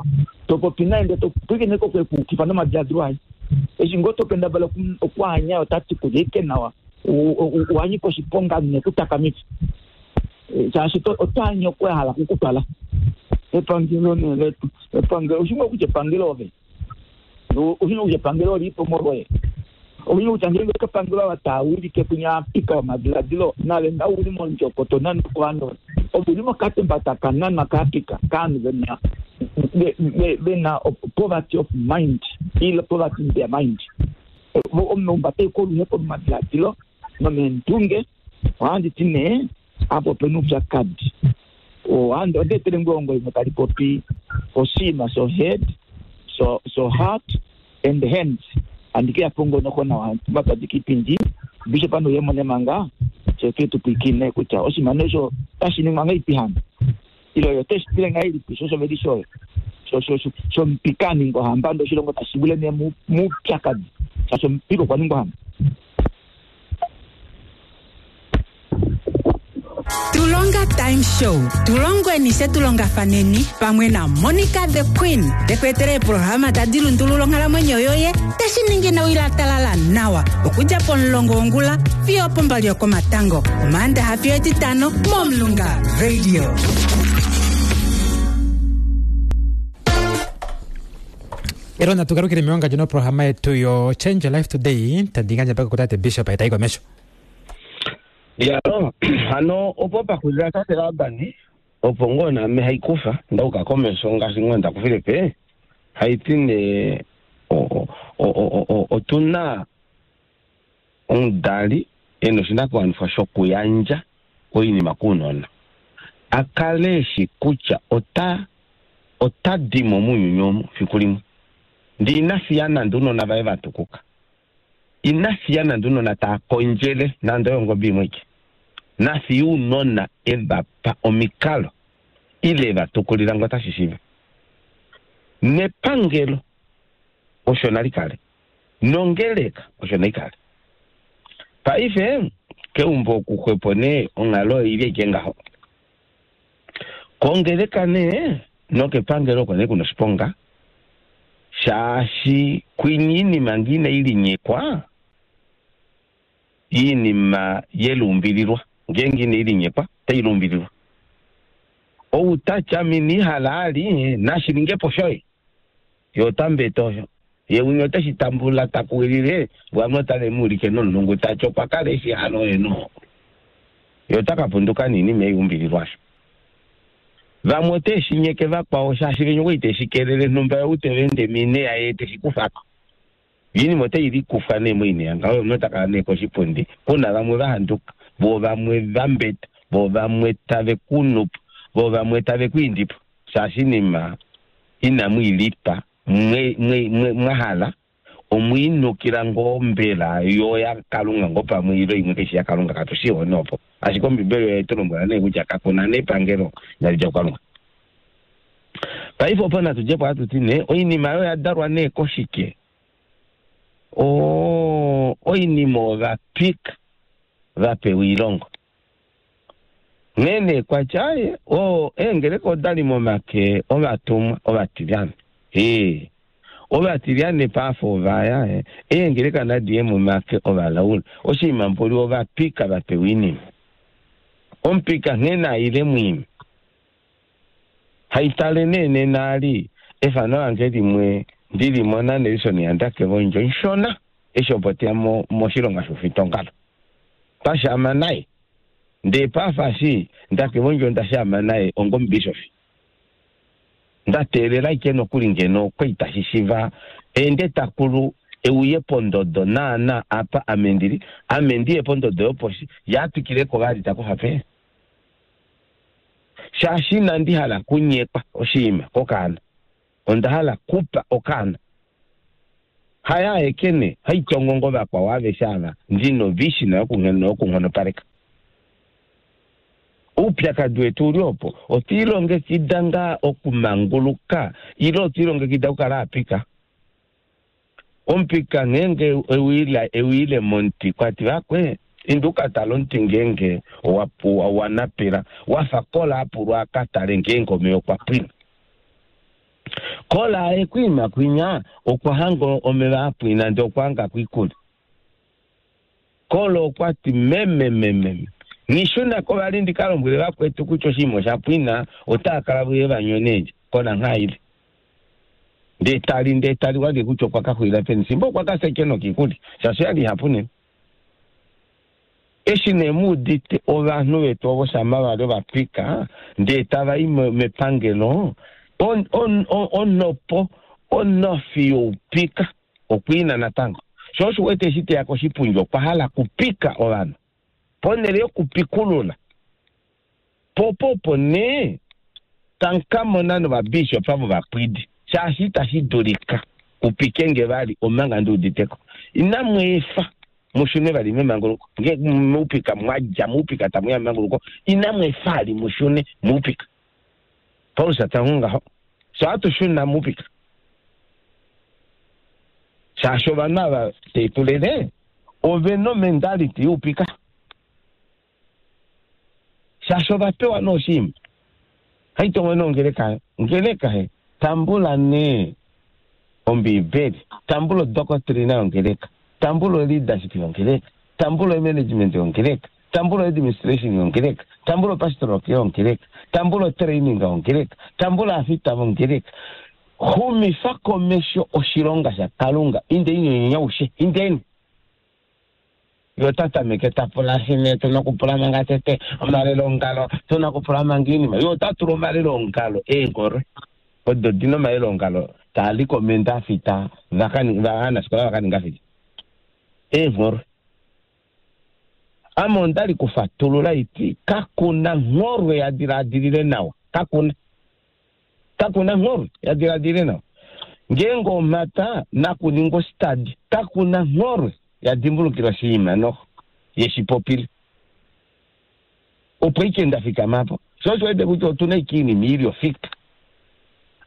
to popi naye ndee to pwilikine ko kwekuukifa nomadiladilo aye. Eshi ngoo to kendabala okwaanya ota ti kulya ike nawa owa nyika oshiponga nekutakamifa shaashi oto anye oku a hala okukutwala. Epangelo nee letu epangelo oshi ngoo kutya epangelo ove Oshi kutya epangelo oli po molwoye. Oshi kutya ngeenge epangelo ava taa wilike kwinya apika omadiladilo nave nga uli mondjokoto nande kovanhu ovo uli mokatemba taka nanwa kaapika kaanhu vena vena poverty of mind ile poverty in their mind. Omunhu omba tai koluhepo momadiladilo nomeendunge. Ohandi ti nee apa opena oupyakadi. Ohandi onda etele ngoo ehongo limwe tali popi oshinima sho head, so so heart and hands. Handi ke ya po ngoo noho nawa matwadi kiipindi Bishop Nuuyemo Nemanga fye tuye tu pwiikine kutya oshinima nee osho otashi ningwa ngahelipi hano ile oye oteshi tile ngahelipi sho osho oyo shomupika a ningwa ohamba ndee oshilongo tashi wile nee moupyakadi shaashi omupika okwa ningwa ohamba. Tulonga Time Show tulongweni she tulongafaneni pamwe na Monica the Queen teku etele eeprograma tadi lundulula onghalamwenyo yoye teshi ningi newi la talala nawa okudja pomulongo wongula fiyo opombali yokomatango Omaandaxa fiyo Etitano mOmulunga Radio. Elo natu galukile mewangadjo noprograma yetu yo Change Your Life Today tandi gandja mpaka kutate Bishop etayi komesho. Ya, hano opo pa xulila tate Laban, opo ngoo naame hai kufa nda uka komesho ngaashi ngoo nda kufile pe, hai ti nee otu na omudali e na oshinakuwanifwa shokuyandja oinima kounona, a kale e shi kutya ota ota di mo mounyuni omu fiku limwe. Ndee ina fiya nande ounona vaye va tukuka. Ina fiya nande ounona taa kondjele nande oyo ongobe imwe aike. Na fiye ounona e va pa omikalo ile e va tukulila ngoo tashi shiiva. Nepangelo osho nali kale. Nongeleka osho nai kale. Paife keumbo oku xwepo nee onghalo oili aike ngaho. Kongeleka nee nokepangelo oko nee kuna oshiponga. Shaashi kwinya iinima ngee inai linyekwa, iinima yelumbililwa ngeenge inai linyekwa otai lumbililwa. Ou ta tya ame inii hala ali, nashi ninge po shoye. Ye ota mbeta osho. Ye winya ote shi tambula ta kuwilile, vamwe otave mu ulike nomulungu ta ti okwa kala e shi hala oye noo. Ye ota ka punduka niinima ei umbililwa osho. Vamwe ote shi nyeke vakwao shaashi venya okwa li te shi kelele nhumba ye ou te va ende moineya ye te shi kufa ko. Oinima otai likufwa nee moineya ngaho ye omunhu ota kala nee koshipundi ku na vamwe va handuka, voo vamwe va mbeta, voo vamwe tave ku nupo, voo vamwe tave ku indi po shaashi oinima inamu i lipa mwe, mwe, mwe, mwa hala, omwe i nukila ngoo mbela yo yaKalunga ngoo pamwe ile imwe kai shi yaKalunga katu shii nee opo. Ashike Ombibeli oye tu lombwela nee kutya kaku na nepangelo inali dja kuKalunga. Paife opo natu dje po hatu ti nee oinima oyo oya dalwa nee koshike? Oo, oinima ovapika va pewa oilongo. Nghee nee kwa tya, aye, oo, eengeleka oda li momake ovatumwa ovatilyane. Ee, ovatilyane paife ova ya, eengeleka nadi ye momake ovalaule. Oshinima mboli ovapika va pewa oinima. Omupika nghee na ile mwiima. Haitale nee nena ali efano lange limwe ndi li mona Nelson yaNdakevondjo nshona eshi opo teya mo moshilonga shoufitongalo. Twa shaama naye. Ndee paife eshi Ndakevondjo nda shaama naye ongomubishofi. Nda teelela ashike nokuli ngeno okwa itashi shiva ende takulu e uye pondodo naana apa ame ndili, ame ndi ye pondodo yoposhi, ye a twikile ko vali ta kufa pee. Shaashi inandi hala kunyekwa oshinima kokaana, onda hala kupa okaana. Haye aeke nee, haitongo ngo vakwao aveshe ava ndi novision yokunghonopaleka. Oupyakadi wetu uli opo, otwa ilongekida ngaa okumanguluka ile otwa ilongekida okukala aapika? Omupika ngeenge e uyile momuti, kwa ti, Vakwe, inda u ka tale omuti ngeenge owa napela, wa fa Kola a pulwa a ka tale ngeenge omeva okwa pwina. Kola e ku ima kwinya, okwa hanga omeva a pwina ndee okwa hanga ko oikulya. Kola okwa ti, Meme, meme, nghi shuna ko vali ndi ka lombwele vakwetu kutya oshinima osha pwina, otava kala ve uye va nyone ndje. Kola ngha ile. Ndee tali, ndee tali walye kutya okwa ka xulila peni, fimbo okwa ka fya ashike nokiikulya, shaashi oya li ihapu unene. Eshi nee mu udite ovanhu vetu ovo shama va li ovapika, ndee tava i mepangelo, on, on, on, onhopo, onhofi youpika okwa ina natango. Sho osho u wete eshi te ya koshipundi okwa hala okupika ovanhu, ponhele yokupikulula. Po opo opo nee tamu ka mona novabishopa vovapwidi, shaashi itashi dulika ku pike nge vali omanga ndi udite ko. Inamu efa mu shune vali memanguluko. Nge moupika mwa dja moupika tamu ya memanguluko, inamu efa vali mu shune moupika. Paulus ta ti ngaho. Fye ohatu shuna moupika, shaashi ovanhu ava te tu lele ove na omendality youpika. Shaashi ova pewa nee oshinima. Haitongo nee ongeleka he. Ongeleka he, tambula nee Ombiibeli, tambula odokotrina yongeleka, tambula oleadership yongeleka, tambula omanagement yongeleka, tambula oadministration yongeleka, tambula opastoral care yongeleka, tambula otraining yongeleka, tambula aafita vongeleka. Xumifa komesho oshilonga shaKalunga. Indeni nonyaushe. Indeni. Ye ota tameke ta pula shine tu na okupula manga tete omaleloongalo, tu na okupula manga iinima. Ye ota tula omaleloongalo eengholwe odo di na omaleloongalo taa likomenda afita va aanafikola va ka ninga shike? Eengholwe. Ame onda li kufatulula iti kaku na ngholwe ya diladilile nawa. Kaku na. Kaku na ngholwe ya diladilile nawa. Ngeenge omhata nakuningwa ositadi, kaku na ngholwe ya dimbulukila oshinima noho ye shi popile. Opo ike nda fikama po. Sho osho wete kutya otu na ike iinima i li ofika.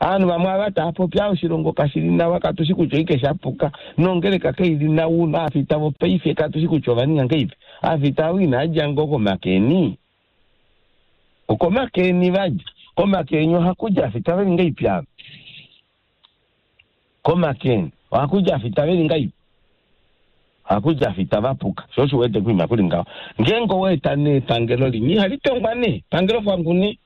Ovanhu vamwe ava tava popi, oshilongo kashi li nawa, katu shi kutya oike sha puka, nongeleka kai li nawa, aafita vopaife katu shi kutya ova ninga ngahelipi. Aafita avo inava dja ngoo komakeni? Okomakeni va dja. Komakeni ohaku dja aafita ve li ngahelipi ava? Komakeni ohaku afita veli ngaipi? Ohaku afita vapuka. Sho osho wete kuima kuli ngaho. Ngeenge owa eta nee epangelo limwe ihali tongwa nee, epangelo kwangu nee.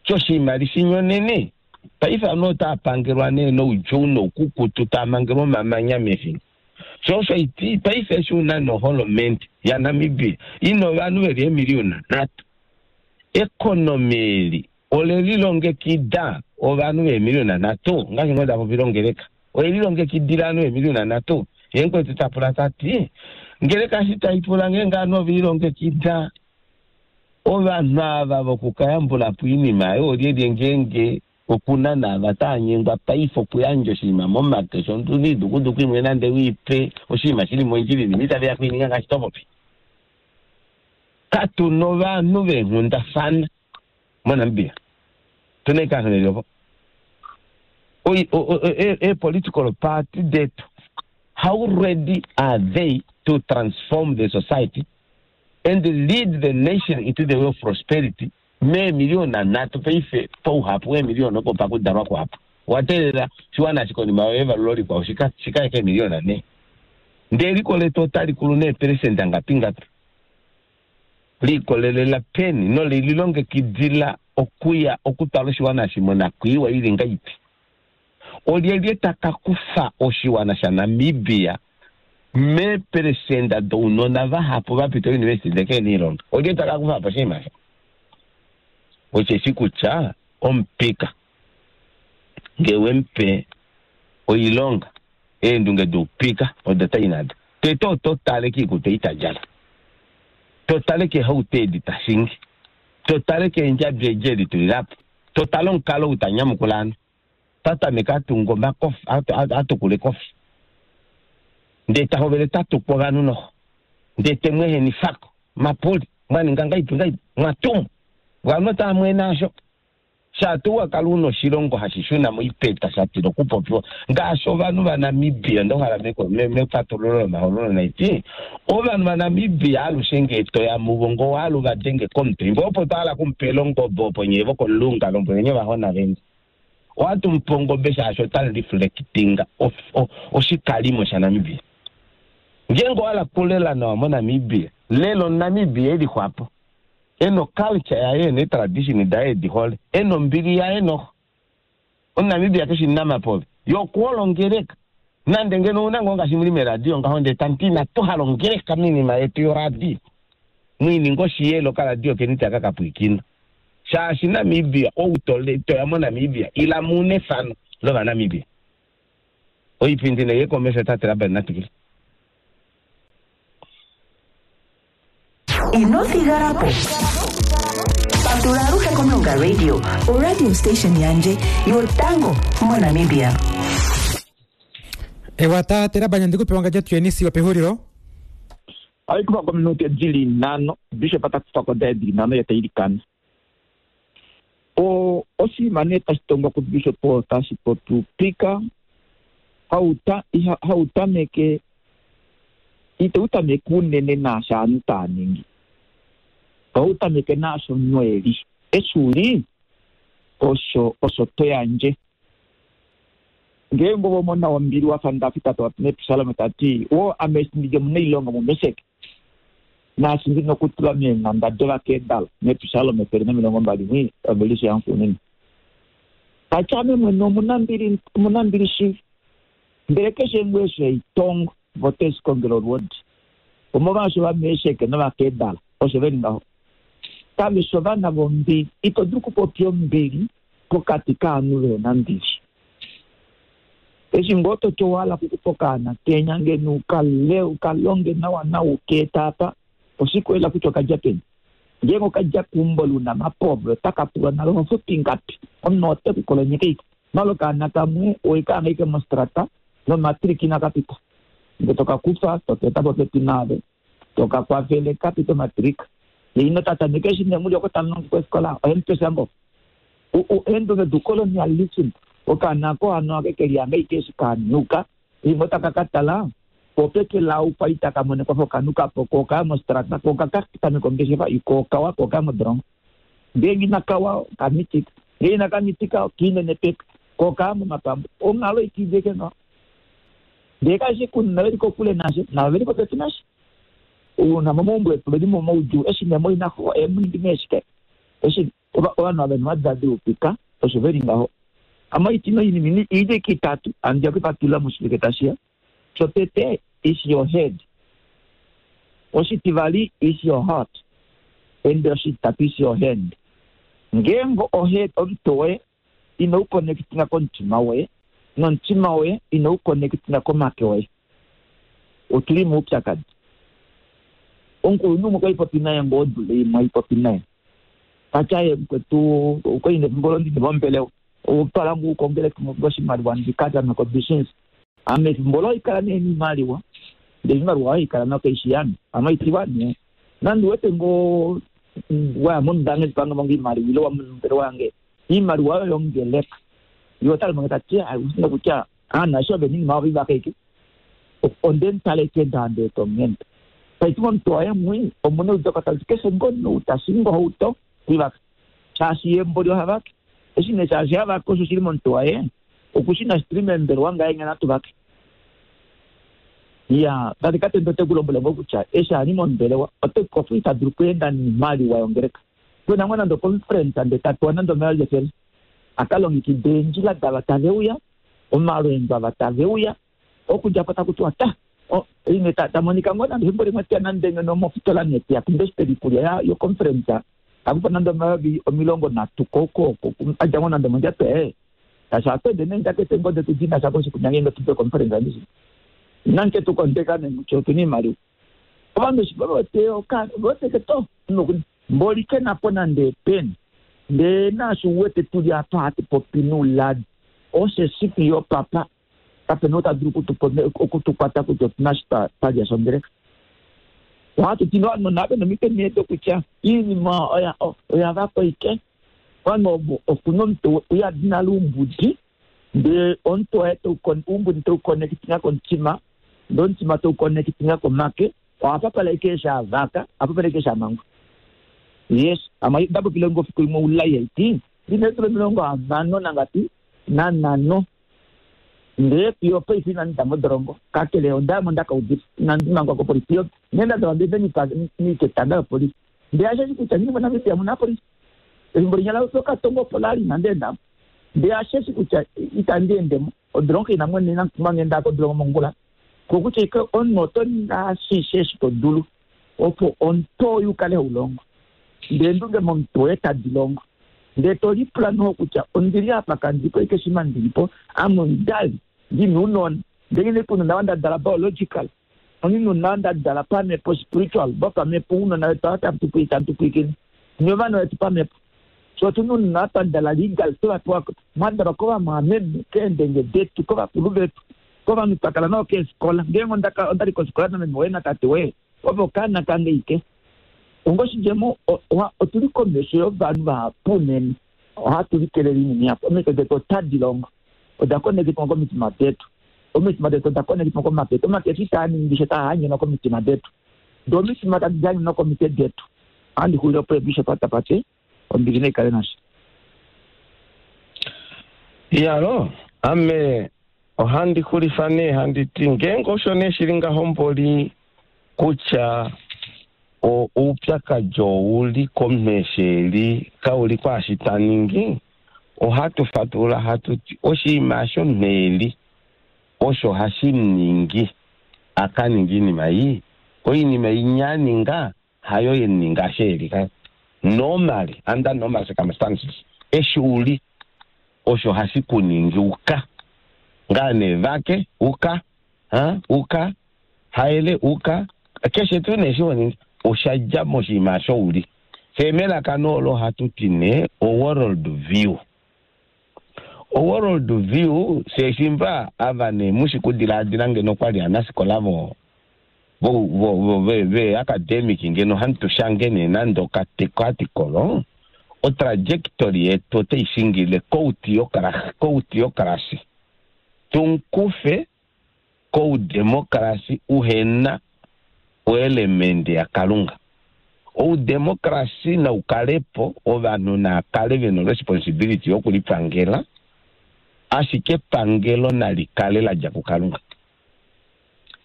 Shoshinima lishinyonene. Paife ovanhu otava pangelwa nee noudjuu noukukutu, tava mangelwa omamanya mefingo. Sho osho iti paife eshi una noholomende yaNamibia ina ovanhu veli eemiliyona nhatu. Ekonomi eli ole lilongekida ovanhu veemiliyona nhatu, ngaashi ngoo nda popile ongeleka. Oye lilongekidila ovanhu veemiliyona nhatu. Ye mukwetu ta pula ta ti, Ngeleka eshi tai pula ngeenge ovanhu ove lilongekida, ovanhu ava vokukayambula po oinima oyo olyelye ngeenge okuna naava tava nyengwa paife okuyandja oshinima momake shondudu idukuduku imwe nande u i pe oshinima shi li mondjila inima itave ya kuininga ngaashi to popi. Katu na ovanhu veenghundafana moNamibia. Otu na ashike ovanhu veli opo. Eepolitical party detu, how ready are they to transform the society and lead the nation into the way of prosperity meemiliyona nhatu paife pauhapu weemiliyona opo pakudalwa kuhapu owa teelela oshiwana eshi konima yevalulo likwao shika ye keemiliyona nhee ndee eliko letu otali kulu neepelesenda ngapi ngapi liikolelela peni nole lilongekidila okuya okutwala oshiwana eshi monakwiiwa ili ngaipi Olyelye ta ka kufa oshiwana shaNamibia meepelesenda dounona vahapu va pita ouniversiti ndele kehena oilonga? Olyelye ta ka kufa po oshinima osho? Osheshi kutya omupika ngee we mu pe oilonga, eendunge doupika odo ta i nado. Tete oto tale kiikutu ei ta djala, to tale keehauto edi ta shingi, to tale keendjabi edi e litulila po, to tale omukalo ou ta nyamukula ovanhu. Ta tameke a tunga omakofi, a tukula ekofi, ndee ta hovele ta tuku ovanhu noho, ndee te mu ehenifako, mapuli, mwa ninga ngaipi ngaipi, mwa tumwa. Ovanhu otava mwene asho. Shaa tuu wa kala una oshilongo hashi shuna moipeta sha tila okupopiwa ngaashi ovanhu vaNamibia, onda hala mefatululo lomahoololo naiti, ovanhu vaNamibia alushe ngee to ya muvo ngoo wahala u va denge komutwe, imbo opo twa hala okumupela ongobe opo nyee vokomulunga lombweleni ovahona veni. Ohatu mu pe ongobe shaashi ota reflectinga oshikalimo shaNamibia. Ngeenge owa hala okulela nawa moNamibia, lela omuNamibia e lixwapo, e na oculture yaye, e na eetradition daye edi hole, e na ombili yaye noho. OmuNamibia keshi omunamapove, ye okuhole ongeleka. Nande ngeno ouna ngoo ngaashi muli meradio ngaho ndee tamu ti inatu hala ongeleka moinima yetu yoradio, mwiininga oshiyele okaradio keni taka ka pwiikina. Shaashi Namibia, ou toya moNamibia, ila mu nefano lOvanamibia. Oipindi nai ye komesho tate Laban na twikile. Ino thigala po. Patula aluhe kOmulonga Radio, oradio station yandje yotango moNamibia. Ewa tate Laban ndi ku pe wangadja tuyeni sigo pehulilo. Ohai kufa ko ominute di li nhano. Bishop ta kufa ko daye di li nhano ye ta ilikana. O, oshinima nee tashi tongwa kubishop oo tashi popi upika, hau ta, iha, hau tameke, itau tameke unene naashi ovanhu tava ningi. Ohau tameke naashi omunhu e li. Eshi u li, osho, osho to yandje. Ngeenge ove omona wombili wa fa David ta popi mEpsalome ta ti, Woo, ame eshi ndi li omunailongo muMesek, naashi ndi nokutulwa meenhanda dOvakedar, mEpsalome 121, ovelishe yaxuuninwa. Ta ti, Ame mwene omunambili, omunambili shili, ndele keshe ngoo eshi hai tongo, vo ote shi kongele olwoodi. Omolwaasho Ovamesek nOvakedar osho ve li ngaho. Kave shi ovana vombili. Ito dulu okupopya ombili pokati kaanhu ve na mbili. Eshi ngoo to ti owa hala okukufa okaana kenya ngeno u ka le, u ka longe nawa nawa u ka eta apa, oshike olela kutya oka dja peni? Ngeenge oka dja keumbo lounamapove otaka pulwa nale oho futu ingapi? Omunhu ote ku kolonyeke ike. Malo okaana kamwe owe ka hanga ike mostrata nomatriki inaka pita. Ndele to ka kufa to ka eta popepi naave. To ka kwafele ka pite omatrika. Ye ino ta tameke eshi ne muli oko tamu longo kofikola, ohe mu pe sha ngoo? Eendunge doucolonialism, okaana ako hano ake ke lihanga ike eshi ka nuka, limwe otaka ka tala, po peke lau kwali taka mono ekwafo oka nuka po, ko okaya mostrata, ko oka ka tameka ongeshefa, ko okawa, ko okaya modolongo. Ngeenge inaka wa, oka mitika. Ngeenge inaka mitika, okiinenepeka. Kokaa momapambu onghalo itideke no ndee kashi kunna veli kokule nashe navo veli popepi nashe uuna momaumbo etu veli momaudjuu eshi nemoinaxo emuningi neeshike eshi ovanhu ava vena oupika osho veli ngaho. Amaitino inini ide kitatu andiya kuipatulula moshivike tashiya. Shotete is your head, oshitivali is your heart, and oshitatu is your hand. Ngeenge ohead omutwe woye ino uconnectinga komutima woye nomutima woye ino uconnectinga komake woye, otuli moupyakadi. Omukulunhu umwe kwali popi naye ngoo odula imwe aipopi naye tatya ye mukwetu okwali nefimbo londini mombelewa otwala ngu ukongeleka oshimaliwa ndikatya kobusiness. Ame efimbo lo ikala nee niimaliwa ndee iimaliwa oyo ikala nokaishi yame amaitiwa nee nandi wete ngoo waya mondange ndipanga monga iimaliwa ile wamombelewa yange iimaliwa oyo yongeleka yo otali tati usina kutya aanasho venini mavo vivakaike onde ntaleke ndande tongenda taiti momuntu waye mwi omuna udoka taliti keshe ngono utashinga ohauto kwivaka shaashi yembo lyohavake eshi ne shaashi havake osho shili momuntu waye okushina shituli membelewa ngaye ngena tuvake. Ya tate katendo ote kulombwela ngo kutya eshi ali mombelewa ote kofu ita dulu okuenda niimaliwa yongeleka kwena ngo nande oconference nde tapewa nande omeya lyefele akalongekida eendjila dava tave uya omalweendo ava tave uya okudja po taku tiwa ta ine tamonika ngo nande efimbo limwe teya nande ngeno mofitola neteya kumbesiteli iikulya yoconference takupa nande 30,000 koko adja ngo nande mondjato tashi atwende neenjakete ngo detu dina sha koshikunyange ngenge tupe conference andishi nanke tukondeka nemutyo otuna iimaliwa ovanhu eshi vavete voteke to mboli ke napo nande epeni ndee naashi uwete tuli apa hatu popi nouladi osheshi fiyo papa kapena ou ta dulu okutukwata kutya otuna shi twalya shongeleka. Ohatu ti ovanhu nave nomitwe nee dokutya iinima oya vakwa ike ovanhu ovo okuna omuntu uyadi nale oumbudi ndee omuntu waye oumbudi teuconnectinga komutima ndee omutima teuconnectinga komake ohapapala ike eshi avaka ahapapala ike eshi amangwa. Yes, ama ndapopile ngo fiku limwe oulai haiti ndina eedula 65 ndee fiyo paife inandi da modolongo kakele ondayamo ndakaudifa inandi mangwa kopolifi fiyo nghee ndadalwa ndee niketanga lopolifi ndee asheshi kutya ngini moNamibia muna apolifi efimbo linya lokatongo opo lali inandi endamo ndee asheshi kutya itandi endemo odolongo ina mwene inamutuma ngenda kodolongo mongula kokutya ike omunhu oto ningi ashishe eshi to dulu opo omuntu oyu ukale haulongo ndee endunge momuntu woye tadi longo ndee to lipula noho kutya ondili apa kandipo ike shima ndilipo ame omudali ndina ounona ndee ngine kunona wa ndadala biological onina wa ndadala pamhepo spiritual vopamhepo ounona vetu ava tamu pwiikine ni ovana vetu pamhepo so otuna ounona twandala legal tovapewa mwadalwa kovamwameme keendenge detu kovakulu vetu kovanhu twakala navo keefikola ngeenge ondali kofikola nameme woye natate woye ove okaana kange ike ongoshidjemo otuli komesho yovanhu vahapu unene ohatu likelele iinima ihapu omitwe detu otadi longo oda konekitwa komitima detu omitima detu oda konekitwa komake etu omake etu itaa ningi sha taa hanyenwa komitima detu doo omitima tadi hanyenwa komitwe detu. Ohandi xulile opo bishop atapate ombili naikale nashe. Iyalo, ame ohandi xulifa nee handi ti ngeenge osho nee shili ngaho mboli kutya oupyakadi ouli komunhu eshi eli kauli kwaashi ta ningi, ohatu fatulula hatu ti oshinima osho omunhu eli osho hashi muningi a ka ninge oinima ii. Oinima inya a ninga hayo ye mu ninga eshi eli ka normally under normal circumstances eshi uli osho hashi ku ningi uka ngaa nee vake uka ha uka haele uka keshe tuu nee eshi ho ningi osha dja moshinima osho uli. Fye melaka olo ohatu ti nee oworld view. Oworld view fye shimba ava nee mushi kudilaadila ngeno kwa li aanafikola vo vo vo vo ve academic ngeno hatu shange nee nande okaarticle otrajectory yetu otai shingile kouteocracy tunkufe koudemocracy uhena oelement yaKalunga. Oudemocracy nau kale po, ovanhu naa kale ve na responsibility yokulipangela, Ashike epangelo nali kale la dja kuKalunga.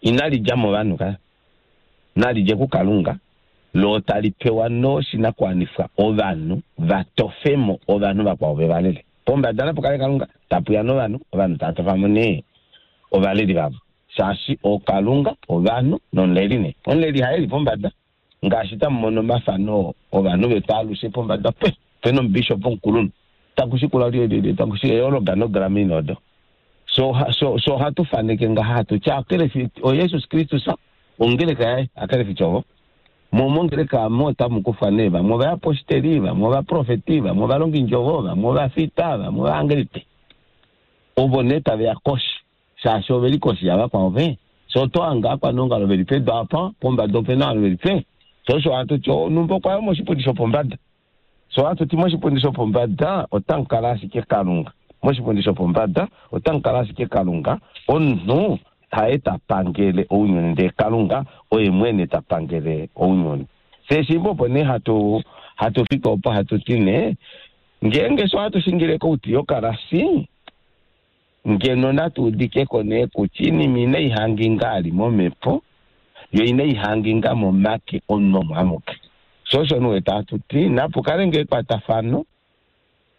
Inali dja movanhu ka. Nali dje kuKalunga, lo tali pewa noshinakuwanifwa ovanhu va tofe mo ovanhu vakwao ve va lele. Pombada napu kale Kalunga, tapu ya novanhu, ovanhu tava tofa mo nee ovaleli vavo. Shaashi ookalunga, ovanhu nomuleli nee. Omuleli haye e li pombada, ngaashi tamu mono omafano ovanhu vetu alushe pombada pe pena omubishop omukulunhu taku shikula lyelyelye taku shi eorganograma ina odo. So so so ohatu faneke ngaha hatu ti akelefi oJesus Kristus ongeleka yaye akelefi ovo. Mo mongeleka amo otamu kufwa nee vamwe ovayaposteli, vamwe ovaprofeti, vamwe ovalongindjovo, vamwe ovafita, vamwe ovaangelite. Ovo nee tave ya koshi shaashi ove li koshi yavakwao ve. So oto hange aakwaneongalo ve li pedu apa, pombada ope na ovanhu ve li pe. So osho hatu ti, onhumba okwa ya moshipundi shopombada. So hatu ti moshipundi shopombada otamu kala ashike Kalunga. Moshipundi shopombada otamu kala ashike Kalunga. Omunhu haye ta pangele ounyuni, ndee Kalunga oye mwene ta pangele ounyuni. Fye eshimbo opo nee hatu, hatu fiki opo hatu ti nee, ngeenge sho hatu shingile kouti yokalasi, Ngeno natu udike ko nee kutya iinima inai hanginga ali momhepo, yo inai hanginga momake omunhu omo amuke. Sho osho nee wete hatu ti napu kale ngoo ekwatafano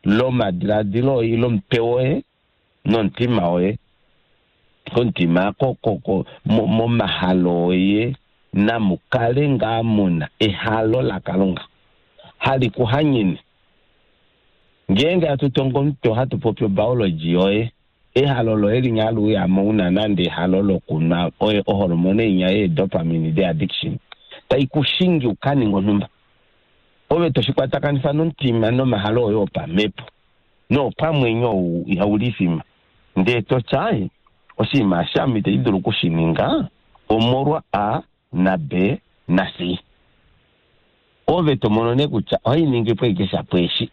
lomadiladilo oye ile omutwe woye nomutima woye, komutima ko, ko, ko, momahalo oye namu kale ngaa muna ehalo laKalunga hali ku hanyene. Ngeenge hatu tongo omutwe ohatu popi obiology yoye, ehalo loye linya hali uya mo una nande ehalo lokunwa oye oholomone inya yee dopamine de addiction tai ku shingi u ka ninge onhumba. Ove to shi kwatakanifa nomutima nomahalo oye opamhepo noopamwenyo ou ihau lifima ndee to tya oshinima eshi ame itandi dulu oku shi ninga omolwa A na B na C. Ove to mono nee kutya ohai ningi po ashike shapo eshi.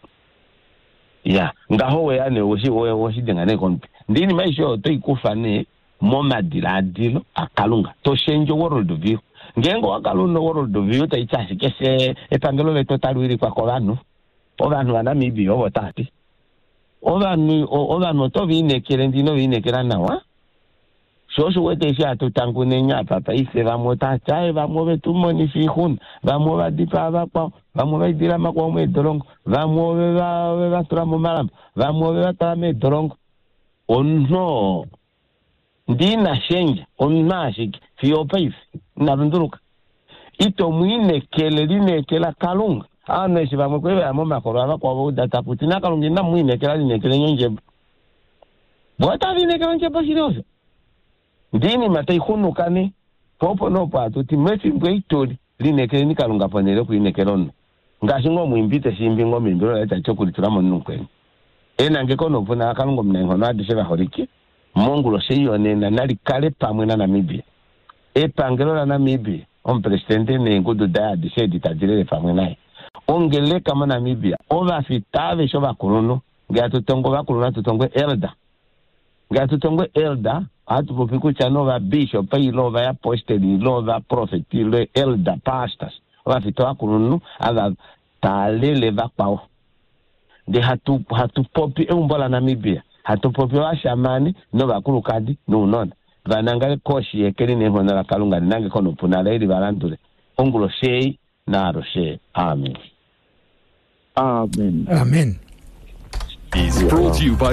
Ya, ngaho weya nee oweshi, oweshi denga nee komutwe. Ndee iinima aishe oyo oto i kufa nee momadilaadilo aKalunga. To shendje world view. Ngeenge owa kala una world view tai ti ashike fye epangelo letu otali wilikwa kovanhu, ovanhu vaNamibia ovo tava ti. Ovanhu, ovanhu oto va inekele ndee ino va inekela nawa. Sho osho u wete eshi hatu tanguneni apa paife, vamwe otava ti, Aaye, vamwe ove tu monifa oixuna, vamwe ova dipaa vakwao, vamwe ova idila makwao meedolongo, vamwe ove va, ove va tula momalambo, vamwe ove va twala meedolongo. Omunhu oo, ndi ina shendja, omunhu ashike, fiyo opaife, ina lunduluka. Ito mu inekele, lineekela Kalunga. Ovanhu eshi vamwe kwali va ya momakolo avakwao va uda taku ti, NaKalunga inamu mu inekela, lineekeleni ondjebo. Vo otava inekela ondjebo shili osho. Ndee iinima tai xunuka nee. Po opo nee opo hatu ti, mefimbo ei tu li, lineekeleni Kalunga ponhele yokulinekela omunhu. Ngaashi ngoo omwiimbi te shi imbi ngoo meimbilo laye tali ti okulitula momunhu mukweni. Enangeko noupuna laKalunga Omunaenghono adishe vaholike, monguloshi ei yonena nali kale pamwe naNamibia. Epangelo laNamibia, Omupresidente neengudu daye adishe edi tadi lele pamwe naye. Ongeleka moNamibia, ovafita aveshe ovakulunhu, Nge hatu tongo ovakulunhu hatu tongo elder. Nge hatu tongo elder ohatu popi kutya nee ovabishop ile ovayaposteli ile ovaprofeti ile elder pastors ovafita ovakulunhu ava taalele vakwao. Ndee hatu hatu popi eumbo laNamibia hatu popi ovashamane novakulukadi nounona va nangale koshi yeke li neenghono laKalunga li nangeko noupuna laye li va landule onguloshi ei naalushe. Amen. Amen. Amen. Is brought to you by.